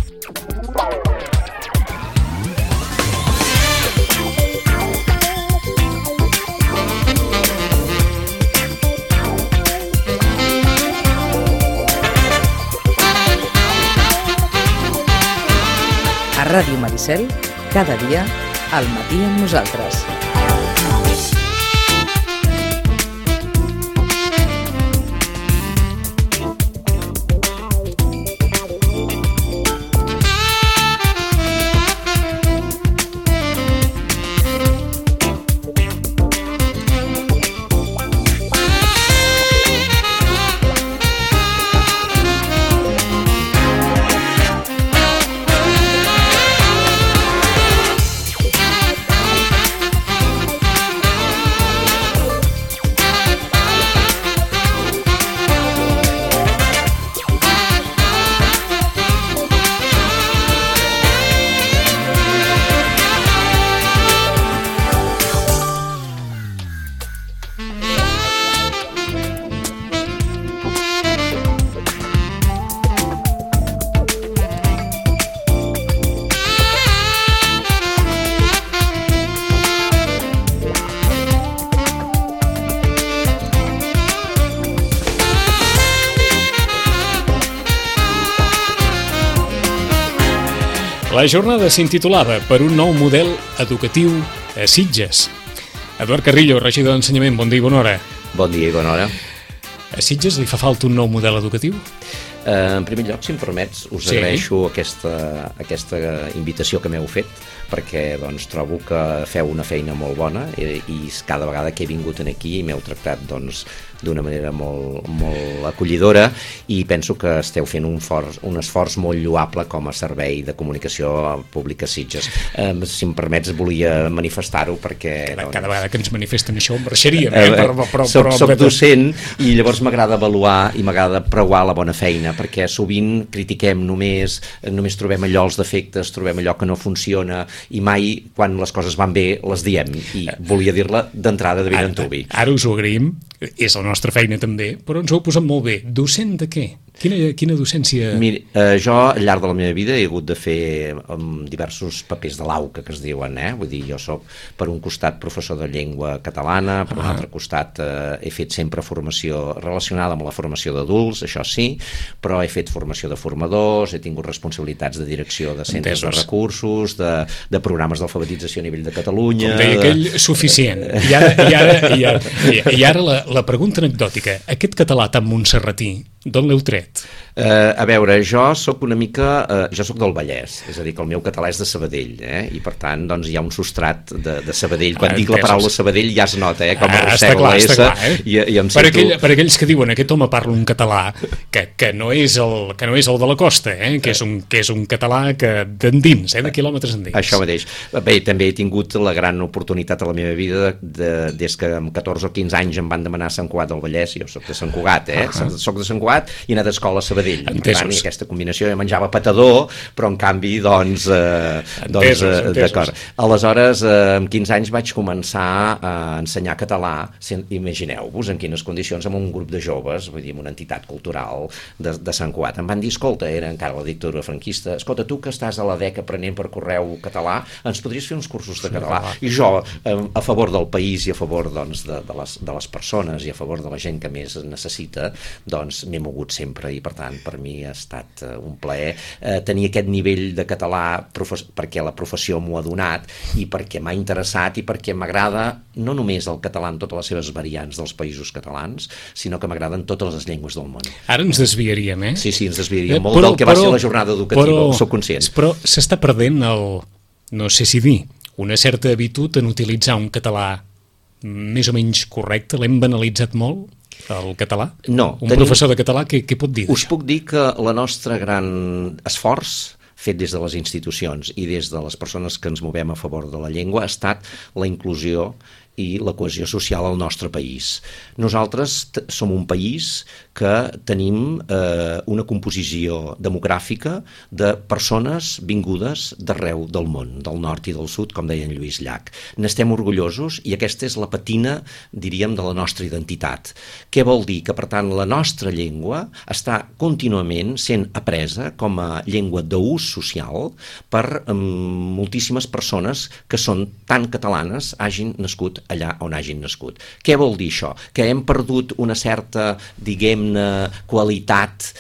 A Ràdio Maricel, cada dia, al matí amb nosaltres. La jornada s'intitulava Per un nou model educatiu a Sitges. Eduard Carrillo, regidor d'Ensenyament, bon dia i bona hora. Bon dia i bona hora. A Sitges li fa falta un nou model educatiu? En primer lloc, si em permets, us agraeixo aquesta invitació que m'heu fet, perquè doncs, trobo que feu una feina molt bona i cada vegada que he vingut aquí m'heu tractat d'una manera molt acollidora i penso que esteu fent un esforç molt lloable com a servei de comunicació pública a Sitges. Si em permets, volia manifestar-ho perquè... Cada vegada que ens manifesten això marxaríem, Soc docent i llavors m'agrada avaluar i m'agrada preuar la bona feina, perquè sovint critiquem només trobem allò, els defectes, trobem allò que no funciona i mai quan les coses van bé les diem, i volia dir-la d'entrada de ben antuvi. Ara us ho agraïm, és la nostra feina també, però ens ho heu posat molt bé. Docent de què? Quina docència? Mira, jo al llarg de la meva vida he hagut de fer diversos papers de l'AUCA, que es diuen, vull dir, jo soc per un costat professor de llengua catalana, per un altre costat he fet sempre formació relacionada amb la formació d'adults, això sí, però he fet formació de formadors, he tingut responsabilitats de direcció de centres de recursos, de programes d'alfabetització a nivell de Catalunya... Com deia aquell, suficient. I ara la pregunta anecdòtica, aquest català tan montserratí, d'on l'heu tret? A veure, jo soc una mica... jo soc del Vallès, és a dir, que el meu català és de Sabadell, i per tant doncs, hi ha un substrat de Sabadell. Quan dic la paraula Sabadell ja es nota, com arrossego la S i em sento... Per aquells que diuen aquest home parla un català que no és el de la costa, que és un català d'endins, de quilòmetres endins. Això mateix. Bé, també he tingut la gran oportunitat a la meva vida des que amb 14 o 15 anys em van demanar a Sant Cugat del Vallès, jo soc de Sant Cugat, soc de Sant Cugat i he anat a escola a Sabadell. Per tant, aquesta combinació, jo menjava patador, però en canvi, d'acord. Aleshores, amb 15 anys vaig començar a ensenyar català, imagineu-vos en quines condicions, amb un grup de joves, vull dir, amb una entitat cultural de Sant Cugat. Em van dir, escolta, era encara la dictadura franquista, escolta, tu que estàs a la DEC aprenent per correu català, ens podries fer uns cursos de català? I jo, a favor del país i a favor de les persones i a favor de la gent que més necessita, doncs m'he mogut sempre i per tant per mi ha estat un plaer tenir aquest nivell de català perquè la professió m'ho ha donat i perquè m'ha interessat i perquè m'agrada no només el català en totes les seves variants dels països catalans, sinó que m'agraden totes les llengües del món. Ara ens desviaríem, Sí, ens desviaríem molt del que va ser la jornada educativa, soc conscient. Però s'està perdent no sé si dir, una certa habitud en utilitzar un català més o menys correcte, l'hem banalitzat molt? El català? No. Un professor de català, què pot dir d'això? Us puc dir que la nostra gran esforç fet des de les institucions i des de les persones que ens movem a favor de la llengua ha estat la inclusió i la cohesió social al nostre país. Nosaltres som un país que tenim una composició demogràfica de persones vingudes d'arreu del món, del nord i del sud, com deia en Lluís Llach. N'estem orgullosos i aquesta és la patina, diríem, de la nostra identitat. Què vol dir? Que, per tant, la nostra llengua està contínuament sent apresa com a llengua d'ús social per moltíssimes persones que són tan catalanes, hagin nascut allà on hagin nascut. Què vol dir això? Que hem perdut una certa, diguem-ne, qualitat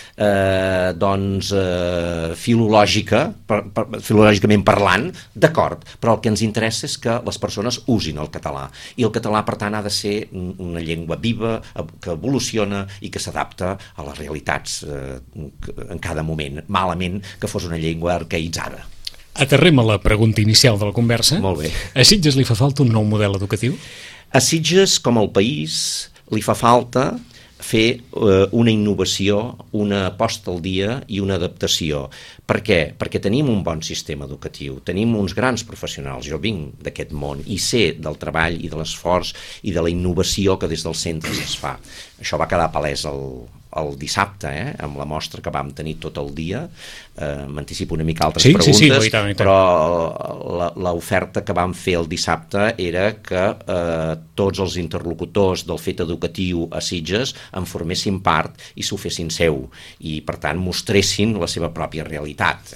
filològicament parlant, d'acord, però el que ens interessa és que les persones usin el català, i el català, per tant, ha de ser una llengua viva, que evoluciona i que s'adapta a les realitats en cada moment. Malament que fos una llengua arcaïtzada. Aterrem a la pregunta inicial de la conversa. Molt bé. A Sitges li fa falta un nou model educatiu? A Sitges, com al país, li fa falta fer una innovació, una posta al dia i una adaptació. Per què? Perquè tenim un bon sistema educatiu, tenim uns grans professionals, jo vinc d'aquest món i sé del treball i de l'esforç i de la innovació que des dels centres es fa. Això va quedar palès el dissabte, amb la mostra que vam tenir tot el dia. M'anticipo una mica altres preguntes, sí, i tant. Però l'oferta que vam fer el dissabte era que tots els interlocutors del fet educatiu a Sitges en formessin part i s'ho fessin seu, i per tant mostressin la seva pròpia realitat.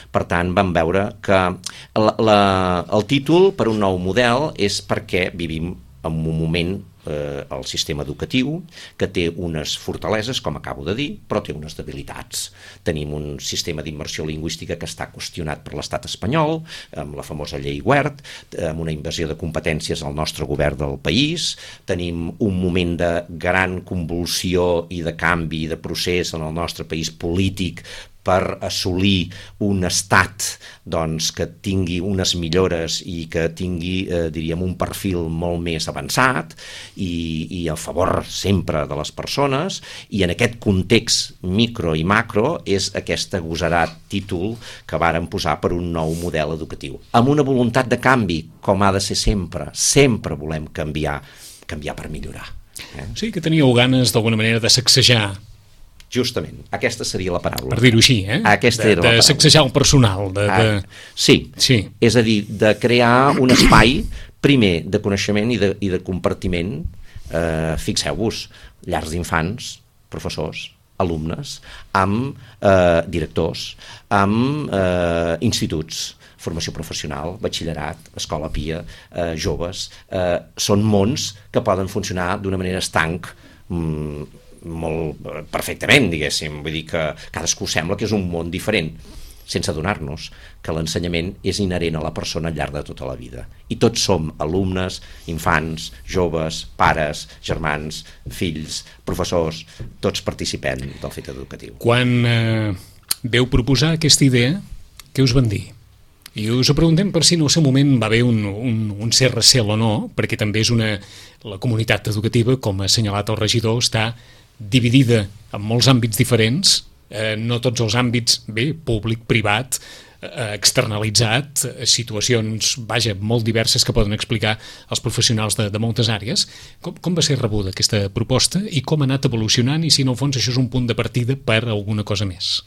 Per tant vam veure que el títol per un nou model és perquè vivim en un moment el sistema educatiu que té unes fortaleses, com acabo de dir, però té unes debilitats. Tenim un sistema d'immersió lingüística que està qüestionat per l'estat espanyol, amb la famosa llei Wert, amb una invasió de competències al nostre govern del país. Tenim un moment de gran convulsió i de canvi de procés en el nostre país polític per assolir un estat que tingui unes millores i que tingui, diríem, un perfil molt més avançat i a favor sempre de les persones, i en aquest context micro i macro és aquest agosarat títol que vàrem posar per un nou model educatiu. Amb una voluntat de canvi, com ha de ser sempre. Sempre volem canviar per millorar. Sí, que teníeu ganes d'alguna manera de sacsejar. Justament, aquesta seria la paraula. Per dir-ho així, Aquesta era la paraula. De sacsejar el personal. Sí, és a dir, de crear un espai, primer, de coneixement i de compartiment. Fixeu-vos, llars d'infants, professors, alumnes, amb directors, amb instituts, formació professional, batxillerat, escola pia, joves. Són mons que poden funcionar d'una manera estanc, molt perfectament, diguéssim. Vull dir que cadascú sembla que és un món diferent, sense adonar-nos que l'ensenyament és inherent a la persona al llarg de tota la vida. I tots som alumnes, infants, joves, pares, germans, fills, professors, tots participem del fet educatiu. Quan veu proposar aquesta idea, què us van dir? I us ho preguntem per si en el seu moment va haver un cert recel o no, perquè també és la comunitat educativa, com ha assenyalat el regidor, està dividida en molts àmbits diferents, no tots els àmbits, públic, privat, externalitzat, situacions, molt diverses que poden explicar els professionals de moltes àrees. Com va ser rebuda aquesta proposta i com ha anat evolucionant, i si en el fons això és un punt de partida per a alguna cosa més?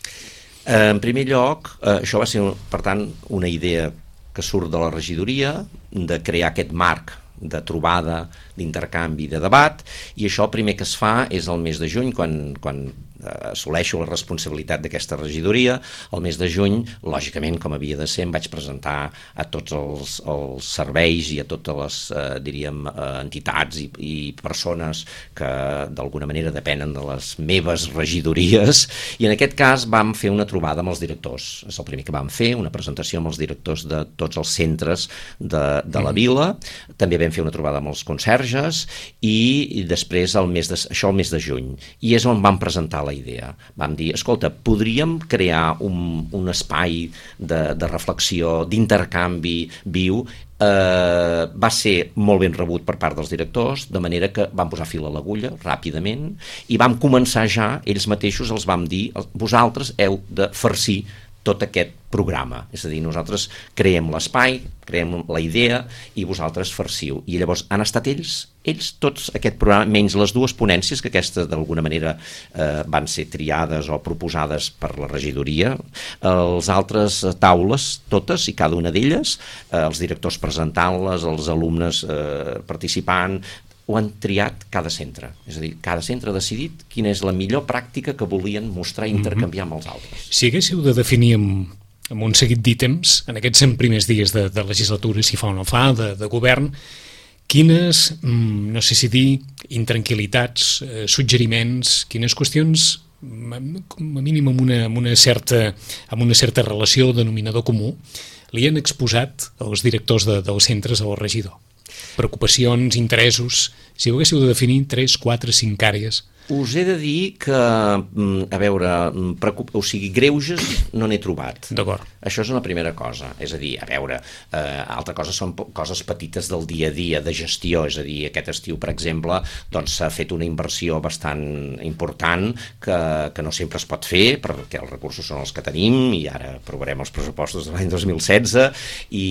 En primer lloc, això va ser, per tant, una idea que surt de la regidoria, de crear aquest marc de trobada, d'intercanvi, de debat, i això el primer que es fa és el mes de juny, quan assoleixo la responsabilitat d'aquesta regidoria. El mes de juny, lògicament, com havia de ser, em vaig presentar a tots els serveis i a totes les, diríem, entitats i persones que d'alguna manera depenen de les meves regidories, i en aquest cas vam fer una trobada amb els directors. És el primer que vam fer, una presentació amb els directors de tots els centres de la vila. També vam fer una trobada amb els conserges, i després això el mes de juny, i és on vam presentar la idea. Vam dir, escolta, podríem crear un espai de reflexió, d'intercanvi viu. Va ser molt ben rebut per part dels directors, de manera que vam posar fil a l'agulla ràpidament i vam començar ja, ells mateixos els vam dir, vosaltres heu de farcir tot aquest programa. És a dir, nosaltres creem l'espai, creem la idea i vosaltres farciu. I llavors han estat ells tots aquest programa, menys les dues ponències, que aquestes d'alguna manera van ser triades o proposades per la regidoria. Els altres taules, totes i cada una d'elles, els directors presentant-les, els alumnes participant, ho han triat cada centre. És a dir, cada centre ha decidit quina és la millor pràctica que volien mostrar i intercanviar amb els altres. Si haguéssiu de definir amb un seguit d'ítems, en aquests 100 primers dies de legislatura, si fa o no fa, de govern, quines, no sé si dir, intranquil·litats, suggeriments, quines qüestions, com a mínim amb una certa relació, denominador comú, li han exposat als directors dels centres o al regidor? Preocupacions, interessos, si ho haguéssiu de definir 3, 4, 5 àrees. Us he de dir que, a veure, greuges no n'he trobat. D'acord. Això és una primera cosa. És a dir, a veure, altra cosa són coses petites del dia a dia, de gestió. És a dir, aquest estiu, per exemple, doncs s'ha fet una inversió bastant important que no sempre es pot fer, perquè els recursos són els que tenim, i ara aprovarem els pressupostos de l'any 2016, i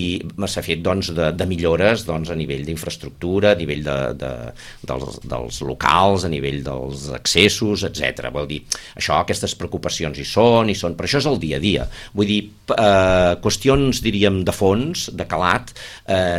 s'ha fet doncs, de millores doncs, a nivell d'infraestructura, a nivell dels locals, a nivell dels accessos, etc. Vol dir, això, aquestes preocupacions hi són, però això és el dia a dia. Vull dir, qüestions, diríem, de fons, de calat,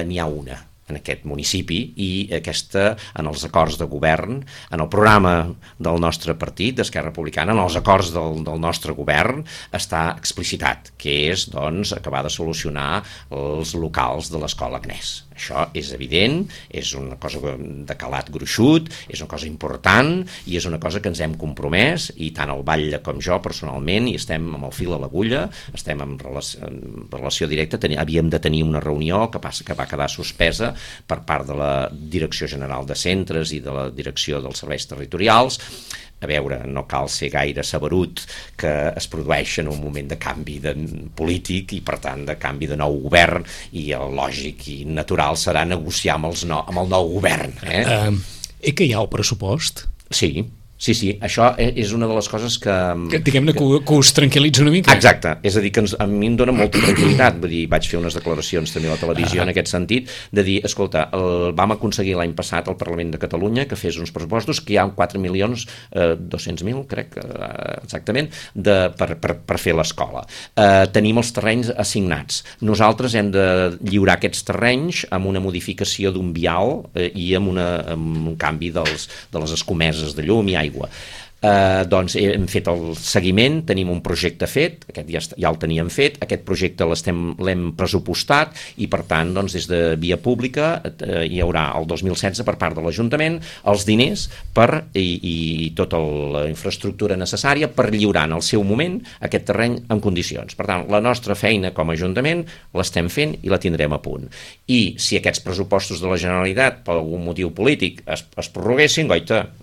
n'hi ha una en aquest municipi, i aquesta, en els acords de govern, en el programa del nostre partit, d'Esquerra Republicana, en els acords del nostre govern, està explicitat, que és, doncs, acabar de solucionar els locals de l'Escola Agnès. Això és evident, és una cosa de calat gruixut, és una cosa important i és una cosa que ens hem compromès, i tant el Batlle com jo personalment, i estem amb el fil a l'agulla, estem en relació directa, havíem de tenir una reunió que va quedar suspesa per part de la Direcció General de Centres i de la Direcció dels Serveis Territorials. A veure, no cal ser gaire saberut que es produeix en un moment de canvi polític i, per tant, de canvi de nou govern, i el lògic i natural serà negociar amb el nou govern. Que hi ha el pressupost? Sí, això és una de les coses que diguem-ne que us tranquil·litza una mica. Exacte, és a dir, que a mi em dona molta tranquil·litat. Vull dir, vaig fer unes declaracions també a la televisió en aquest sentit, de dir, escolta, vam aconseguir l'any passat al Parlament de Catalunya que fes uns pressupostos que hi ha 4.200.000, crec, exactament, per fer l'escola. Tenim els terrenys assignats. Nosaltres hem de lliurar aquests terrenys amb una modificació d'un vial i amb un canvi de les escomeses de llum i aigua. Doncs hem fet el seguiment, tenim un projecte fet, aquest ja el teníem fet, aquest projecte l'hem pressupostat, i per tant doncs, des de via pública hi haurà el 2016 per part de l'Ajuntament els diners i tota la infraestructura necessària per lliurar en el seu moment aquest terreny en condicions. Per tant, la nostra feina com a Ajuntament l'estem fent i la tindrem a punt. I si aquests pressupostos de la Generalitat per algun motiu polític es prorroguessin, goita,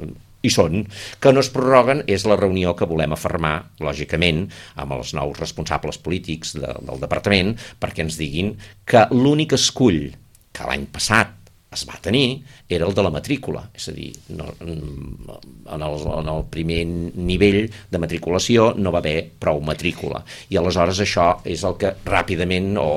i són, que no es prorroguen, és la reunió que volem afermar, lògicament, amb els nous responsables polítics del departament, perquè ens diguin que l'únic escull que l'any passat es va tenir era el de la matrícula, és a dir, en el primer nivell de matriculació no va haver prou matrícula, i aleshores això és el que ràpidament o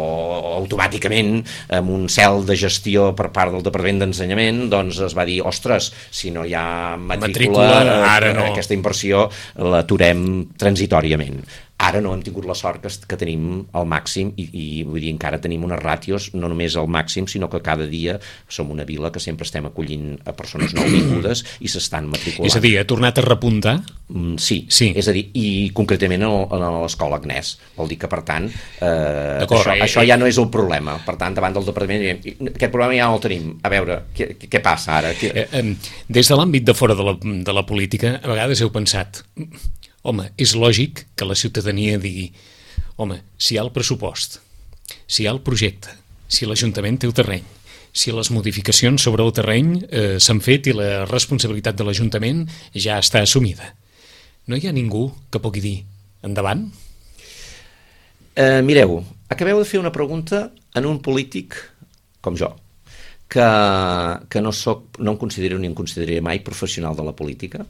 automàticament, amb un cel de gestió per part del Departament d'Ensenyament, doncs es va dir, ostres, si no hi ha matrícula ara no. Aquesta inversió l'aturem transitòriament. Ara no hem tingut la sort que tenim al màxim, i vull dir, encara tenim unes ràtios no només al màxim, sinó que cada dia som una vila que sempre estem acollint a persones nouvingudes i s'estan matriculant. És a dir, ha tornat a repuntar? Sí. És a dir, i concretament a l'Escola Agnès. Vol dir que, per tant, això ja no és el problema. Per tant, davant del departament, aquest problema ja no el tenim. A veure, què passa ara? Des de l'àmbit de fora de la política, a vegades heu pensat... Home, és lògic que la ciutadania digui, home, si hi ha el pressupost, si hi ha el projecte, si l'Ajuntament té el terreny, si les modificacions sobre el terreny s'han fet i la responsabilitat de l'Ajuntament ja està assumida, no hi ha ningú que pugui dir endavant? Mireu, acabeu de fer una pregunta en un polític com jo, que no em considero ni em consideraré mai professional de la política,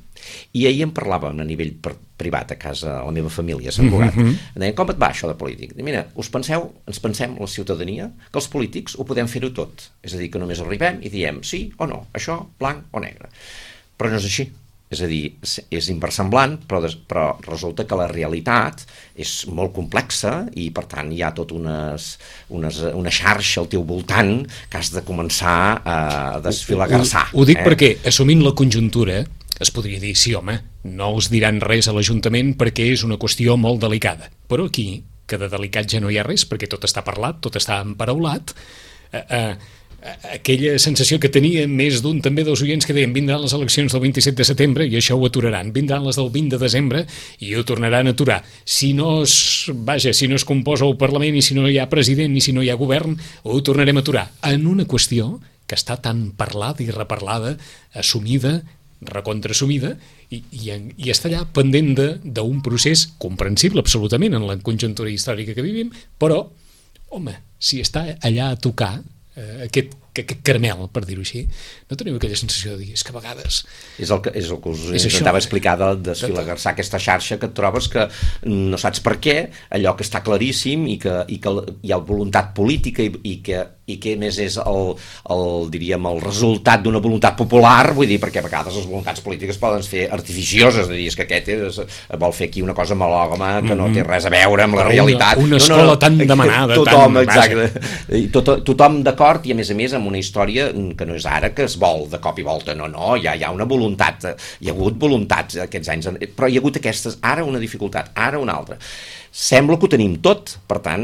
i ahir em parlàvem a nivell privat a casa, a la meva família a Sant Cugat. Deien, com et va això de polític? Mira, ens pensem, la ciutadania, que els polítics ho podem fer-ho tot, és a dir, que només arribem i diem sí o no, això, blanc o negre, però no és així. És a dir, és inversemblant, però resulta que la realitat és molt complexa i, per tant, hi ha tot una xarxa al teu voltant que has de començar a desfilagarçar. Ho dic perquè, assumint la conjuntura, es podria dir, sí, home, no us diran res a l'Ajuntament perquè és una qüestió molt delicada. Però aquí, que de delicat ja no hi ha res, perquè tot està parlat, tot està emparaulat, aquella sensació que tenia més d'un també dels oients que deien vindran les eleccions del 27 de setembre i això ho aturaran, vindran les del 20 de desembre i ho tornaran a aturar. Si no es composa el Parlament i si no hi ha president i si no hi ha govern, ho tornarem a aturar. En una qüestió que està tan parlada i reparlada, assumida, recontraassumida, i està allà pendent d'un procés comprensible absolutament en la conjuntura històrica que vivim, però, home, si està allà a tocar aquest caramel, per dir-ho així, no teniu aquella sensació de dir, és que a vegades... És el que us intentava explicar de desfilagarçar aquesta xarxa que et trobes que no saps per què, allò que està claríssim i que hi ha voluntat política i que a més és diríem, el resultat d'una voluntat popular, vull dir, perquè a vegades les voluntats polítiques poden ser artificioses, de dir, és que aquest vol fer aquí una cosa malògama que no té res a veure amb la realitat. Una escola tan demanada, tothom, exacte, tothom d'acord, i a més amb una història que no és ara que es vol de cop i volta, no, hi ha una voluntat, hi ha hagut voluntats aquests anys, però hi ha hagut aquestes, ara una dificultat, ara una altra. Sembla que ho tenim tot, per tant,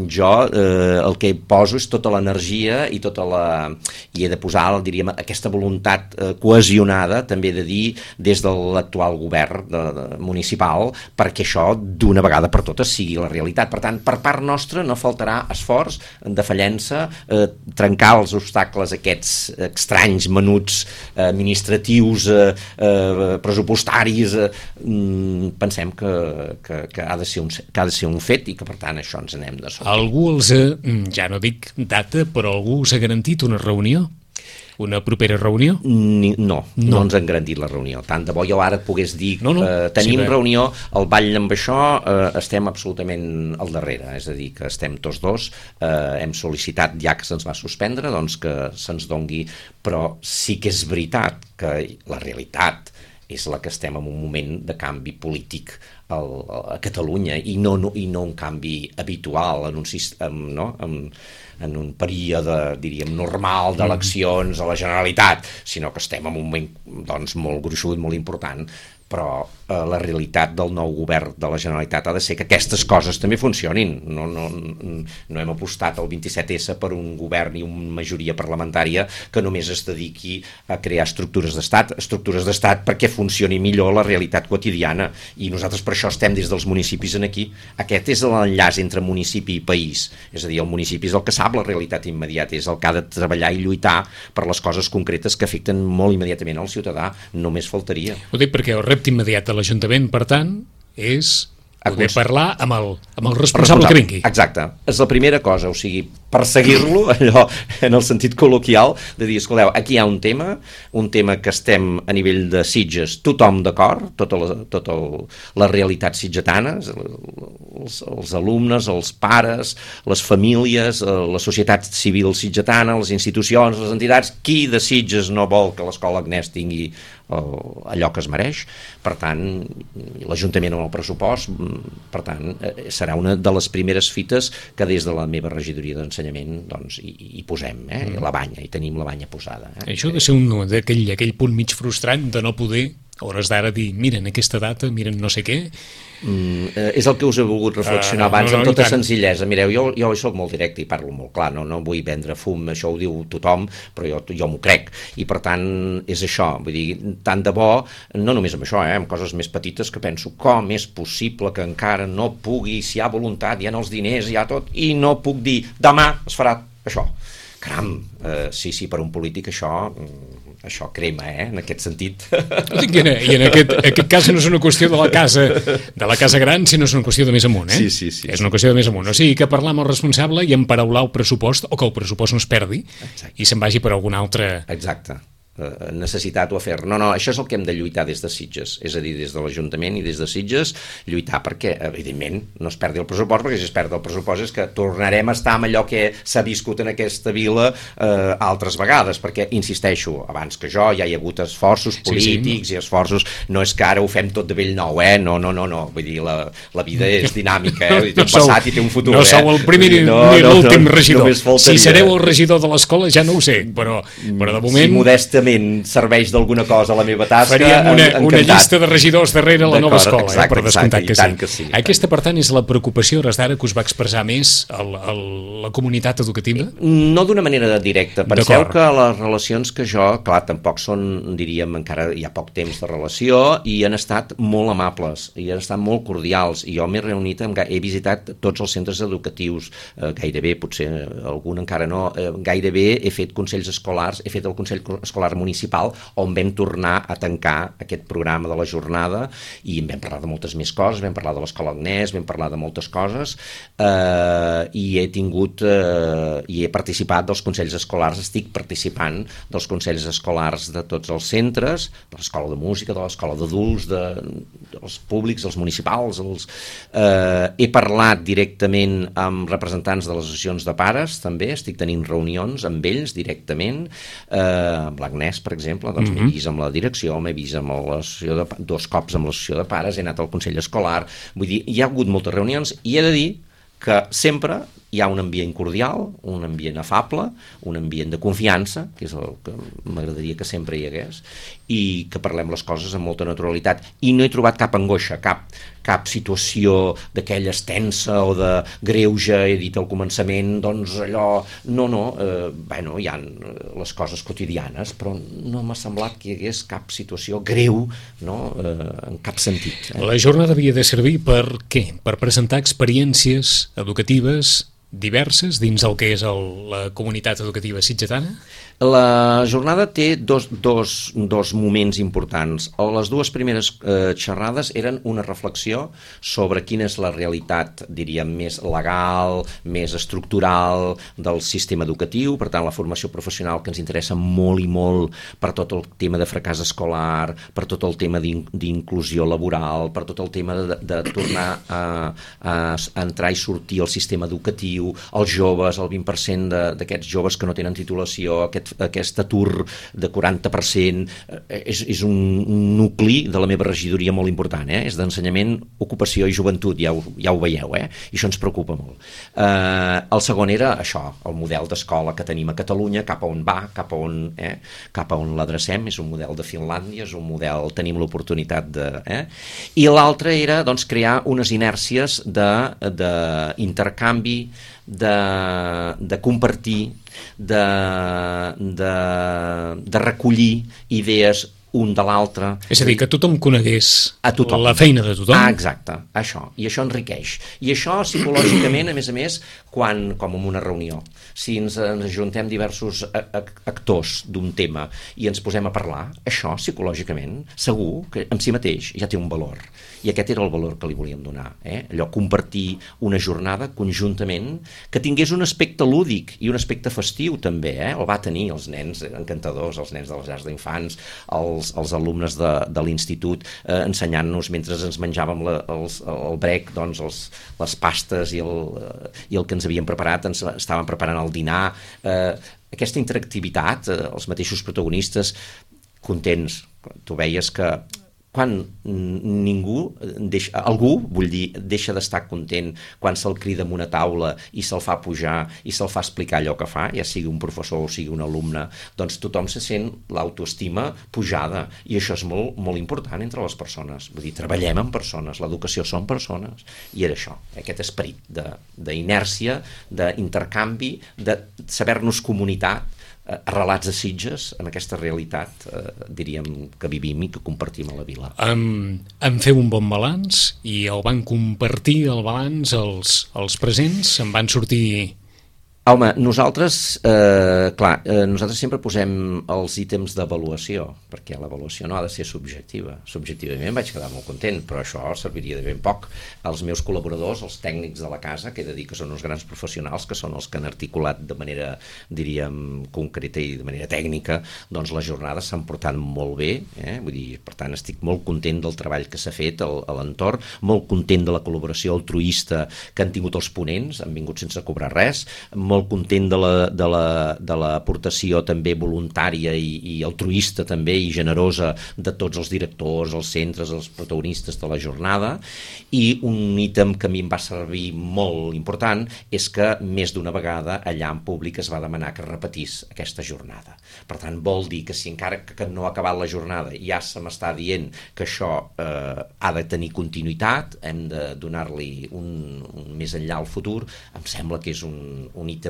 jo el que poso és tota l'energia i i he de posar, diríem, aquesta voluntat cohesionada, també de dir, des de l'actual govern municipal, perquè això d'una vegada per totes sigui la realitat. Per tant, per part nostra no faltarà esforç, defallença, trencar els obstacles aquests estranys, menuts, administratius, pressupostaris. Pensem que ha de ser un fet i que per tant això ens anem de sota. Algú ja no dic data, però algú us ha garantit una reunió? Una propera reunió? No ens han garantit la reunió. Tant de bo jo ara et pogués dir tenim reunió, al ball amb això estem absolutament al darrere, és a dir, que estem tots dos, hem sol·licitat ja que se'ns va suspendre, doncs que se'ns dongui, però sí que és veritat que la realitat és la que estem en un moment de canvi polític a Catalunya i no un canvi habitual en un període, diríem, normal d'eleccions a la Generalitat, sinó que estem en un moment molt gruixut, molt important, però la realitat del nou govern de la Generalitat ha de ser que aquestes coses també funcionin. No hem apostat al 27S per un govern i una majoria parlamentària que només es dediqui a crear estructures d'estat perquè funcioni millor la realitat quotidiana, i nosaltres per això estem des dels municipis aquí. Aquest és l'enllaç entre municipi i país, és a dir, el municipi és el que sap la realitat immediata, és el que ha de treballar i lluitar per les coses concretes que afecten molt immediatament al ciutadà, només faltaria. Ho dic perquè el repte immediat de l'Ajuntament, per tant, és poder parlar amb el responsable que vingui. Exacte, és la primera cosa, o sigui, perseguir-lo, allò en el sentit col·loquial, de dir, escolteu, aquí hi ha un tema que estem a nivell de Sitges, tothom d'acord, tota la realitat sitgetana, els alumnes, els pares, les famílies, la societat civil sitgetana, les institucions, les entitats, qui de Sitges no vol que l'escola Agnès tingui allò que es mereix? Per tant, l'Ajuntament amb el pressupost, per tant, serà una de les primeres fites que des de la meva regidoria d'ensenyament doncs, hi posem, la banya, i tenim la banya posada. Això ha de ser aquell punt mig frustrant de no poder, a hores d'ara, dir, miren aquesta data, miren no sé què. És el que us he volgut reflexionar abans amb tota senzillesa. Mireu, jo soc molt directe i parlo molt clar, no vull vendre fum, això ho diu tothom, però jo m'ho crec, i per tant és això, vull dir, tant de bo, no només amb això, amb coses més petites, que penso com és possible que encara no pugui, si hi ha voluntat, hi ha els diners, hi ha tot, i no puc dir demà es farà això. Caram, sí, per un polític això això crema, en aquest sentit. I en aquest cas no és una qüestió de la casa gran, sinó és una qüestió de més amunt, Sí. És una qüestió de més amunt. O sigui, que parlar amb el responsable i emparaular el pressupost, o que el pressupost no es perdi. Exacte. I se'n vagi per algun altre... Exacte. Necessitat o afer. No, això és el que hem de lluitar des de Sitges, és a dir, des de l'Ajuntament i des de Sitges, lluitar perquè, evidentment, no es perdi el pressupost, perquè si es perd el pressupost és que tornarem a estar amb allò que s'ha viscut en aquesta vila altres vegades, perquè, insisteixo, abans que jo ja hi ha hagut esforços polítics i esforços, no és que ara ho fem tot de vell nou, no, vull dir, la vida és dinàmica, té un passat i té un futur. No sou el primer ni l'últim regidor. Si sereu el regidor de l'escola ja no ho sé, però de moment... Si modestament serveix d'alguna cosa a la meva tasca, faríem una llista de regidors darrere la nova escola, per descomptat que sí. Aquesta, per tant, és la preocupació hores d'ara que us va expressar més la comunitat educativa? No d'una manera directa. Penseu que les relacions que jo, clar, tampoc són, diríem, encara hi ha poc temps de relació, i han estat molt amables, i han estat molt cordials, i jo m'he reunit, he visitat tots els centres educatius, gairebé, potser algun encara no, gairebé he fet consells escolars, he fet el consell escolar municipal, on vam tornar a tancar aquest programa de la jornada, i en vam parlar de moltes més coses, vam parlar de l'escola Agnès, vam parlar de moltes coses, i he participat dels consells escolars, estic participant dels consells escolars de tots els centres, de l'escola de música, de l'escola d'adults, dels públics, dels municipals, he parlat directament amb representants de les associacions de pares, també, estic tenint reunions amb ells directament, amb l'Agnès, per exemple, doncs m'he vist amb la direcció, m'he vist amb dos cops amb l'associació de pares, he anat al consell escolar, vull dir, hi ha hagut moltes reunions, i he de dir que sempre hi ha un ambient cordial, un ambient afable, un ambient de confiança, que és el que m'agradaria que sempre hi hagués, i que parlem les coses amb molta naturalitat, i no he trobat cap angoixa, cap situació d'aquella tensa o de greuge, he dit al començament, doncs allò... No, hi ha les coses quotidianes, però no m'ha semblat que hi hagués cap situació greu, no?, en cap sentit. La jornada havia de servir per què? Per presentar experiències educatives diverses dins el que és la comunitat educativa sitgetana? La jornada té dos moments importants. Les dues primeres xerrades eren una reflexió sobre quina és la realitat, diríem, més legal, més estructural del sistema educatiu, per tant la formació professional que ens interessa molt i molt per tot el tema de fracàs escolar, per tot el tema d'inclusió laboral, per tot el tema de tornar a entrar i sortir al sistema educatiu, els joves, el 20% d'aquests joves que no tenen titulació, aquest atur de 40%, és un nucli de la meva regidoria molt important, és d'ensenyament, ocupació i joventut, ja ho veieu, i això ens preocupa molt. El segon era això, el model d'escola que tenim a Catalunya, cap a on va, cap a on l'adrecem, és un model de Finlàndia, és un model, tenim l'oportunitat de... I l'altre era, doncs, crear unes inèrcies d'intercanvi, de compartir, de recollir idees un de l'altre. És a dir, que tothom conegués la feina de tothom. Exacte, això. I això enriqueix. I això psicològicament, a més, com en una reunió. Si ens ajuntem diversos actors d'un tema i ens posem a parlar, això psicològicament, segur que en si mateix ja té un valor. I aquest era el valor que li volíem donar. Allò, compartir una jornada conjuntament que tingués un aspecte lúdic i un aspecte festiu també. El va tenir els nens encantadors, els nens de les llars d'infants, els alumnes de l'institut, ensenyant-nos mentre ens menjàvem el brec, doncs les pastes i el que ens havien preparat, ens estaven preparant el dinar. Aquesta interactivitat, els mateixos protagonistes contents. Tu veies que quan algú deixa d'estar content quan se'l crida en una taula i se'l fa pujar i se'l fa explicar allò que fa, ja sigui un professor o sigui un alumne, doncs tothom se sent l'autoestima pujada, i això és molt, molt important entre les persones. Vull dir, treballem amb persones, l'educació són persones, i era això, aquest esperit d'inèrcia, d'intercanvi, de saber-nos comunitat, arrelats a Sitges, en aquesta realitat, diríem, que vivim i que compartim a la vila. En feu un bon balanç i el van compartir, el balanç, els presents, en van sortir Home, nosaltres sempre posem els ítems d'avaluació, perquè l'avaluació no ha de ser subjectiva. Subjectivament vaig quedar molt content, però això serviria de ben poc. Els meus col·laboradors, els tècnics de la casa, que he de dir que són uns grans professionals, que són els que han articulat de manera, diríem, concreta i de manera tècnica, doncs les jornades s'han portat molt bé, vull dir, per tant, estic molt content del treball que s'ha fet a l'entorn, molt content de la col·laboració altruista que han tingut els ponents, han vingut sense cobrar res, molt content de l'aportació també voluntària i altruista també i generosa de tots els directors, els centres, els protagonistes de la jornada, i un ítem que a mi em va servir molt important és que més d'una vegada allà en públic es va demanar que repetís aquesta jornada. Per tant, vol dir que si encara que no ha acabat la jornada ja se m'està dient que això ha de tenir continuïtat, hem de donar-li un més enllà al futur, em sembla que és un ítem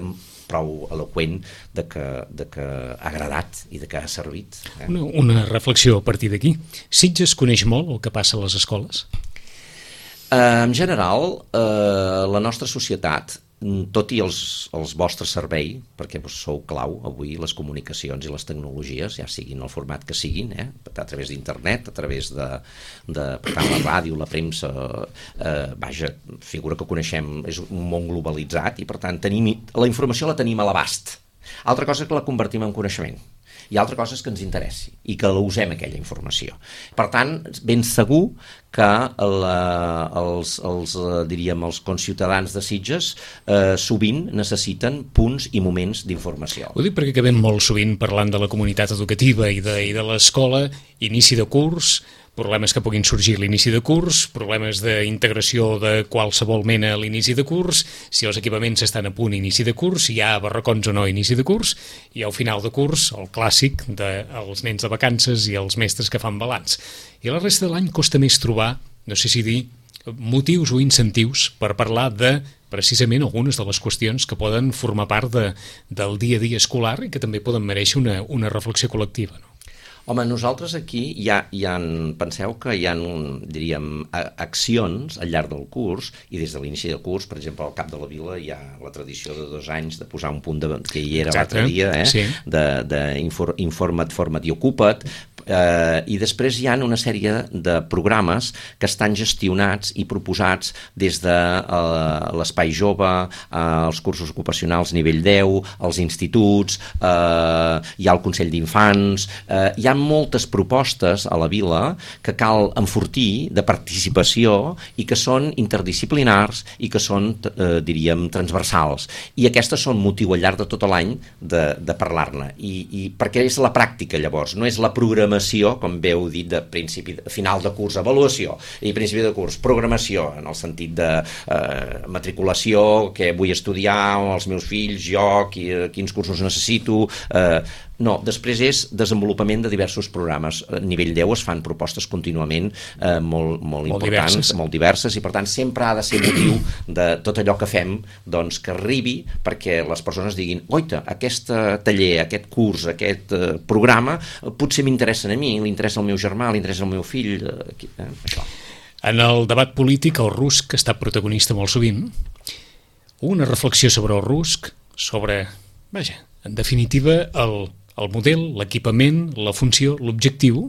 prou eloqüent de que ha agradat i de que ha servit. Una reflexió a partir d'aquí. Sitges coneix molt el que passa a les escoles? En general, la nostra societat, tot i el vostre servei, perquè sou clau avui, les comunicacions i les tecnologies, ja siguin el format que siguin, a través d'internet, a través de per tant, la ràdio, la premsa, vaja, figura que coneixem, és un món globalitzat i per tant la informació la tenim a l'abast. Altra cosa és que la convertim en coneixement. I altra cosa és que ens interessi i que la usem aquella informació. Per tant, ben segur que els conciutadans de Sitges sovint necessiten punts i moments d'informació. Ho dic perquè acabem molt sovint parlant de la comunitat educativa i de l'escola, inici de curs, problemes que puguin sorgir a l'inici de curs, problemes d'integració de qualsevol mena a l'inici de curs, si els equipaments estan a punt inici de curs, si hi ha barracons o no inici de curs, i al final de curs el clàssic dels nens de vacances i els mestres que fan balanç. I la resta de l'any costa més trobar, no sé si dir, motius o incentius per parlar de precisament algunes de les qüestions que poden formar part del dia a dia escolar i que també poden mereixer una reflexió col·lectiva, no? Home, nosaltres aquí penseu que hi ha, diríem, accions al llarg del curs, i des de l'inici del curs, per exemple, al Cap de la Vila hi ha la tradició de 2 anys de posar un punt que hi era l'altre dia, sí. Informa't, forma't i ocupa't, i després hi ha una sèrie de programes que estan gestionats i proposats des de l'Espai Jove, els cursos ocupacionals nivell 10, els instituts, hi ha el Consell d'Infants, hi ha moltes propostes a la vila que cal enfortir de participació i que són interdisciplinars i que són, diríem, transversals. I aquestes són motiu al llarg de tot l'any de parlar-ne. I perquè és la pràctica, llavors, no és la programació, com bé heu dit, de principi, final de curs, avaluació, i principi de curs, programació, en el sentit de matriculació, què vull estudiar, els meus fills, jo, quins cursos necessito... No, després és desenvolupament de diversos programes. A nivell 10 es fan propostes contínuament molt importants, molt diverses, i per tant sempre ha de ser motiu de tot allò que fem, doncs, que arribi perquè les persones diguin, oita, aquest taller, aquest curs, aquest programa, potser m'interessen a mi, li interessa al meu germà, li interessa al meu fill, això. En el debat polític, el RUSC ha estat protagonista molt sovint. Una reflexió sobre el RUSC, sobre, vaja, en definitiva, el model, l'equipament, la funció, l'objectiu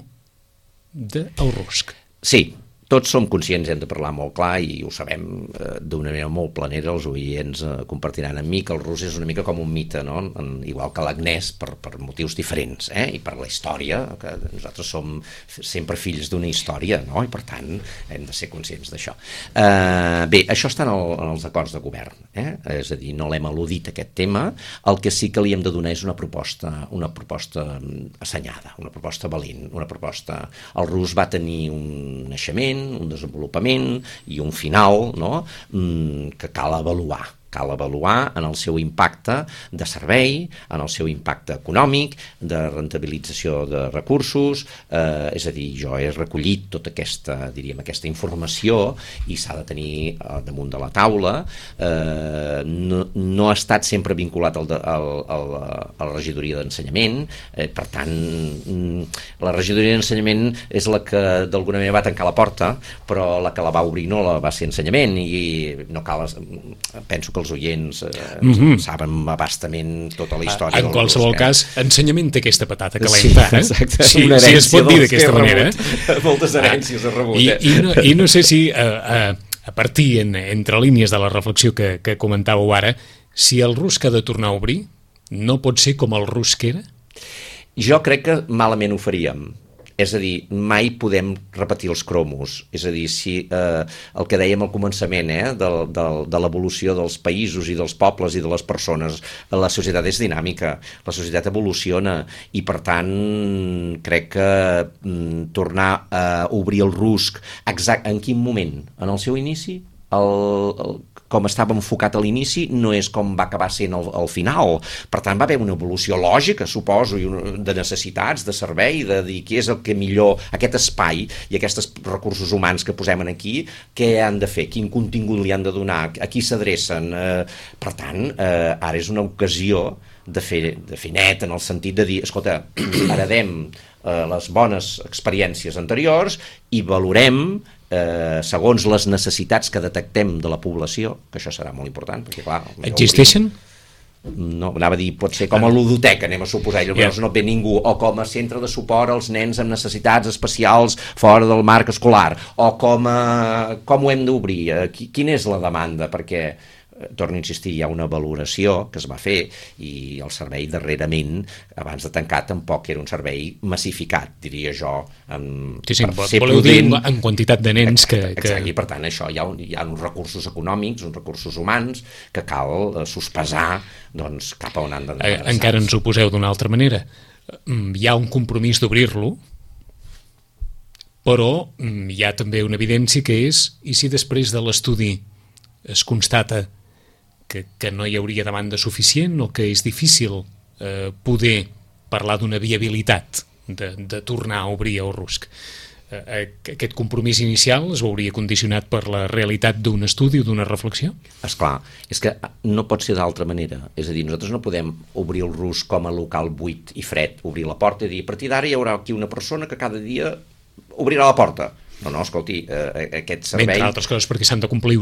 del RUSC. Sí, tots som conscients, hem de parlar molt clar i ho sabem d'una manera molt planera, els oients compartiran amb mi que el rus és una mica com un mite, no? Igual que l'Agnès, per motius diferents, i per la història, que nosaltres som sempre fills d'una història, no? I per tant hem de ser conscients d'això. Bé, això està en els acords de govern, és a dir, no l'hem al·ludit aquest tema, el que sí que li hem de donar és una proposta assenyada, una proposta valent, una proposta... El rus va tenir un naixement, un desenvolupament i un final, no? Que cal avaluar en el seu impacte de servei, en el seu impacte econòmic, de rentabilització de recursos, és a dir, jo he recollit tota aquesta, diríem, aquesta informació i s'ha de tenir damunt de la taula. No ha estat sempre vinculat a la regidoria d'ensenyament, per tant, la regidoria d'ensenyament és la que d'alguna manera va tancar la porta, però la que la va obrir no la va ser ensenyament, i no cal, penso que que els oients saben abastament tota la història. En qualsevol cas, ensenyament té aquesta patata Sí, calenta, exacte. si Una es herència pot dir dels d'aquesta que he manera. rebut. Moltes herències he rebut. I no sé si, a partir entre línies de la reflexió que comentàveu ara, si el rusc ha de tornar a obrir, no pot ser com el rusc era? Jo crec que malament ho faríem. És a dir, mai podem repetir els cromos. És a dir, si el que dèiem al començament de l'evolució dels països i dels pobles i de les persones, la societat és dinàmica, la societat evoluciona i, per tant, crec que tornar a obrir el rusc en quin moment? En el seu inici? Com estava enfocat a l'inici no és com va acabar sent al final. Per tant, va haver una evolució lògica, suposo, de necessitats, de servei, de dir què és el que millor, aquest espai i aquests recursos humans que posem aquí, què han de fer, quin contingut li han de donar, a qui s'adrecen. Per tant, ara és una ocasió de fer net, en el sentit de dir, escolta, heredem les bones experiències anteriors i valorem segons les necessitats que detectem de la població, que això serà molt important, perquè clar... Existeixen? No, anava a dir, pot ser com a ludoteca, anem a suposar, llavors no ve ningú, o com a centre de suport als nens amb necessitats especials fora del marc escolar, o com ho hem d'obrir, quina és la demanda, perquè torno a insistir, hi ha una valoració que es va fer i el servei darrerament, abans de tancar, tampoc era un servei massificat, diria jo, per ser prudent. Dir en quantitat de nens que... Exacte, i per tant això hi ha uns recursos econòmics, uns recursos humans que cal sospesar doncs, cap a on han d'anar. Encara ens ho poseu d'una altra manera. Hi ha un compromís d'obrir-lo, però hi ha també una evidència que és, i si després de l'estudi es constata que no hi hauria demanda suficient o que és difícil poder parlar d'una viabilitat de tornar a obrir el rusc. Aquest compromís inicial es veuria condicionat per la realitat d'un estudi o d'una reflexió? Esclar, és que no pot ser d'altra manera. És a dir, nosaltres no podem obrir el rusc com a local buit i fred, obrir la porta i dir, a partir d'ara hi haurà aquí una persona que cada dia obrirà la porta. No, escolti, aquest servei... Entre altres coses perquè s'han de complir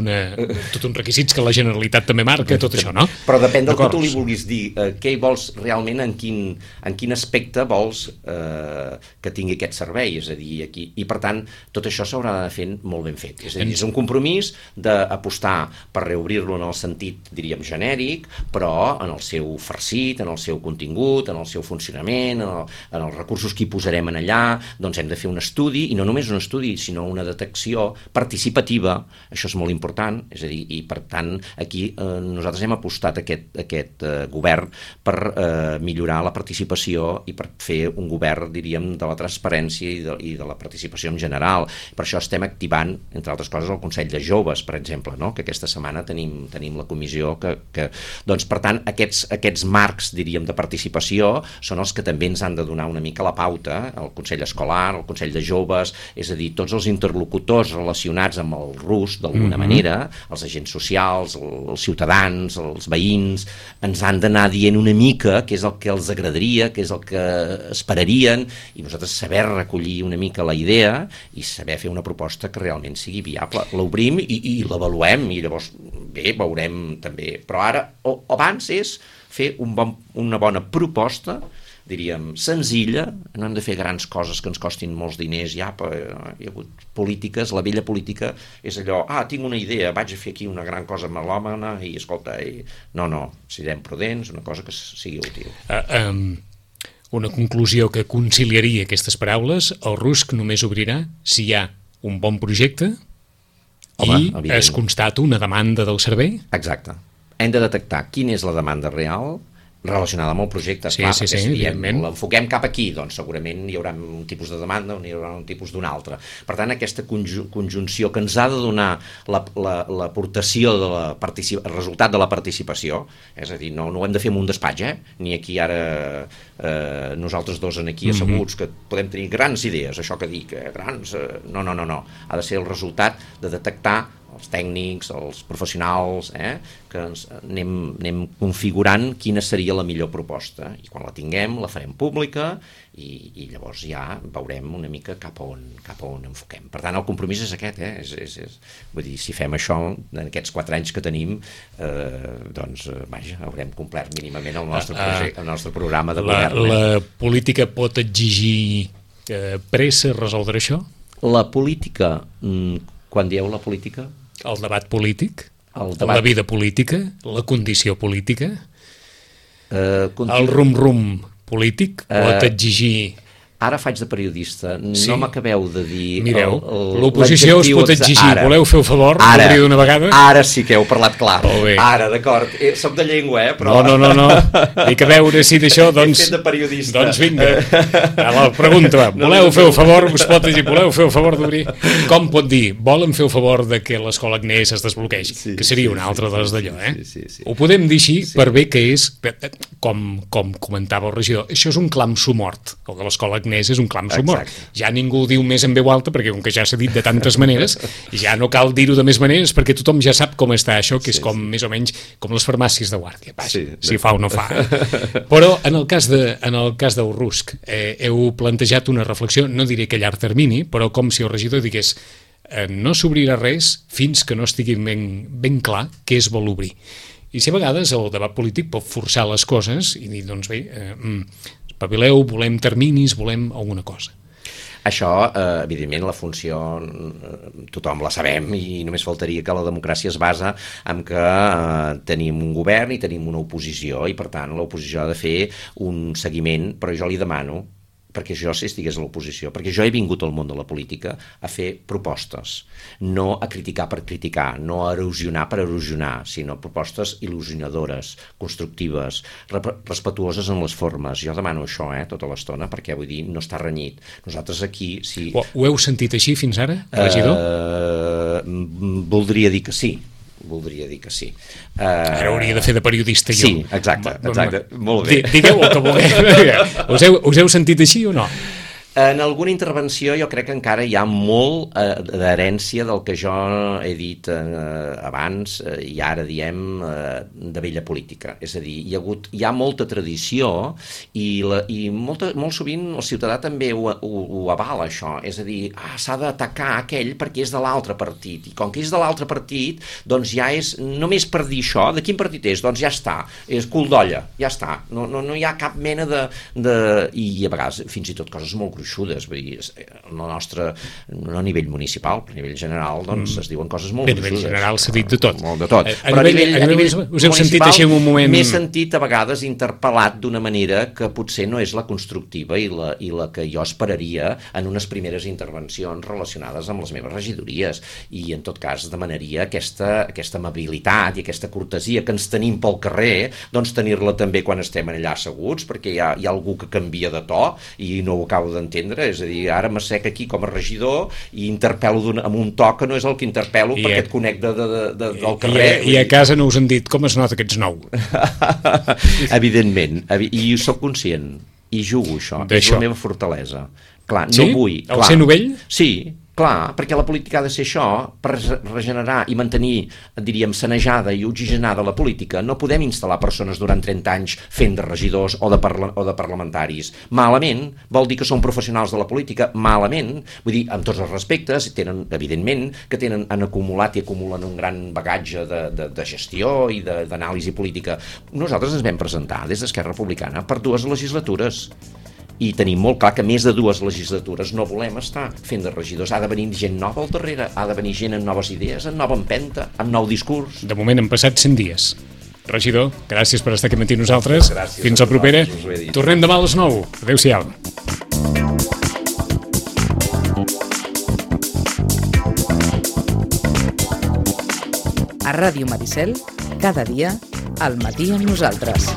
tot uns requisits que la Generalitat també marca, tot això, no? Però depèn del que tu li vulguis dir. Què hi vols realment, en quin aspecte vols que tingui aquest servei? És a dir, aquí... I per tant, tot això s'haurà de fer molt ben fet. És a dir, és un compromís d'apostar per reobrir-lo en el sentit, diríem, genèric, però en el seu farcit, en el seu contingut, en el seu funcionament, en els recursos que hi posarem en allà, doncs hem de fer un estudi, i no només un estudi, sinó una detecció participativa, això és molt important, és a dir, i per tant aquí nosaltres hem apostat aquest govern per millorar la participació i per fer un govern, diríem, de la transparència i de la participació en general. Per això estem activant, entre altres coses, el Consell de Joves, per exemple, no? Que aquesta setmana tenim la comissió que doncs, per tant, aquests marcs, diríem, de participació són els que també ens han de donar una mica la pauta, el Consell Escolar, el Consell de Joves, és a dir, tots els interlocutors relacionats amb el rusc, d'alguna manera, els agents socials, els ciutadans, els veïns, ens han d'anar dient una mica què és el que els agradaria, què és el que esperarien, i nosaltres saber recollir una mica la idea i saber fer una proposta que realment sigui viable. L'obrim i l'avaluem, i llavors, bé, veurem també. Però ara, abans és fer una bona proposta, diríem, senzilla, no hem de fer grans coses que ens costin molts diners, hi ha hagut polítiques, la vella política és allò, tinc una idea, vaig a fer aquí una gran cosa melòmana i escolta, no, siguem prudents, una cosa que sigui útil. Una conclusió que conciliaria aquestes paraules, el rusc només obrirà si hi ha un bon projecte i es constata una demanda del servei? Exacte. Hem de detectar quina és la demanda real relacionada amb el projecte, clar, perquè si l'enfoquem cap aquí, doncs segurament hi haurà un tipus de demanda o hi haurà un tipus d'un altre. Per tant, aquesta conjunció que ens ha de donar l'aportació el resultat de la participació, és a dir, no ho hem de fer en un despatx, ni aquí ara nosaltres dos aquí asseguts, que podem tenir grans idees, això que dic, grans... No. Ha de ser el resultat de detectar els tècnics, els professionals, que anem configurant quina seria la millor proposta, i quan la tinguem la farem pública i llavors ja veurem una mica cap a on enfoquem. Per tant, el compromís és aquest, vull dir, si fem això en aquests 4 anys que tenim, doncs, vaja, haurem complert mínimament el nostre programa de govern. La política pot exigir pressa a resoldre això? La política, quan dieu la política? El debat polític? La vida política? La condició política? El rum-rum polític pot exigir... Ara faig de periodista, no m'acabeu de dir... Mireu, l'oposició us pot exigir, voleu fer el favor d'obrir d'una vegada? Ara sí que heu parlat clar. Ara, d'acord, soc de llengua, però... No, dic a veure si d'això, doncs... He fet de periodista. Doncs vinga, la pregunta, voleu fer el favor, us pot dir, voleu fer el favor d'obrir? Com pot dir, volen fer el favor de que l'escola Agnès es desbloqueix? Que seria una altra de les d'allò, Ho podem dir així per bé que és, com comentava el regidor, això és un clam sumort, el de l'escola Agnès és un clam sumort. Ja ningú ho diu més en veu alta, perquè com que ja s'ha dit de tantes maneres, ja no cal dir-ho de més maneres, perquè tothom ja sap com està això, que és com més o menys com les farmàcies de guàrdia. Si fa o no fa. Però en el cas del RUSC heu plantejat una reflexió, no diré que a llarg termini, però com si el regidor digués no s'obrirà res fins que no estigui ben clar què es vol obrir. I si a vegades el debat polític pot forçar les coses i dir, doncs bé, espavileu, volem terminis, volem alguna cosa. Això, evidentment, la funció tothom la sabem i només faltaria que la democràcia es basa en que tenim un govern i tenim una oposició i, per tant, l'oposició ha de fer un seguiment, però jo li demano, perquè jo si estigués a l'oposició, perquè jo he vingut al món de la política a fer propostes, no a criticar per criticar, no a erosionar per erosionar, sinó propostes il·lusionadores, constructives, respetuoses en les formes. Jo demano això, tota l'estona, perquè vull dir, no està renyit. Nosaltres aquí... Si... Ho heu sentit així fins ara, regidor? Voldria dir que sí. Ara hauria de fer de periodista jo. Sí, exacte, molt bé. Digueu el que vulgueu. Us heu sentit així o no? En alguna intervenció jo crec que encara hi ha molt d'herència del que jo he dit abans i ara diem de vella política. És a dir, hi ha molta tradició i molt sovint el ciutadà també ho avala, això. És a dir, s'ha d'atacar aquell perquè és de l'altre partit. I com que és de l'altre partit, doncs ja és, només per dir això, de quin partit és? Doncs ja està, és cul d'olla, ja està. No hi ha cap mena de... I a vegades fins i tot coses molt gruixudes. Vull dir, no a nivell municipal, però a nivell general doncs es diuen coses molt gruixudes. A nivell general s'ha dit de tot. Molt de tot. Però a nivell us heu sentit així en un moment... M'he sentit a vegades interpel·lat d'una manera que potser no és la constructiva i la que jo esperaria en unes primeres intervencions relacionades amb les meves regidories. I en tot cas demanaria aquesta amabilitat i aquesta cortesia que ens tenim pel carrer, doncs tenir-la també quan estem allà asseguts, perquè hi ha algú que canvia de to i no ho acabo d'entendre. És a dir, ara m'assec aquí com a regidor i interpel·lo amb un to que no és el que interpel·lo perquè et conec del carrer. I a casa no us han dit com es nota que ets nou? Evidentment, i soc conscient i jugo això, és la meva fortalesa. Clar, no vull... El ser novell? Sí, clar, perquè la política ha de ser això, per regenerar i mantenir, diríem, sanejada i oxigenada la política. No podem instal·lar persones durant 30 anys fent de regidors o de parlamentaris. Malament, vol dir que són professionals de la política, malament, vull dir, amb tots els respectes, evidentment, que han acumulat i acumulen un gran bagatge de gestió i d'anàlisi política. Nosaltres ens vam presentar des d'Esquerra Republicana per 2 legislatures. I tenim molt clar que més de 2 legislatures no volem estar fent de regidors. Ha de venir gent nova al darrere, ha de venir gent amb noves idees, amb nova empenta, amb nou discurs. De moment han passat 100 dies. Regidor, gràcies per estar aquí amb nosaltres. Gràcies. Fins la propera. Tornem demà a les 9. Adéu-siau. A Ràdio Maricel, cada dia, al matí amb nosaltres.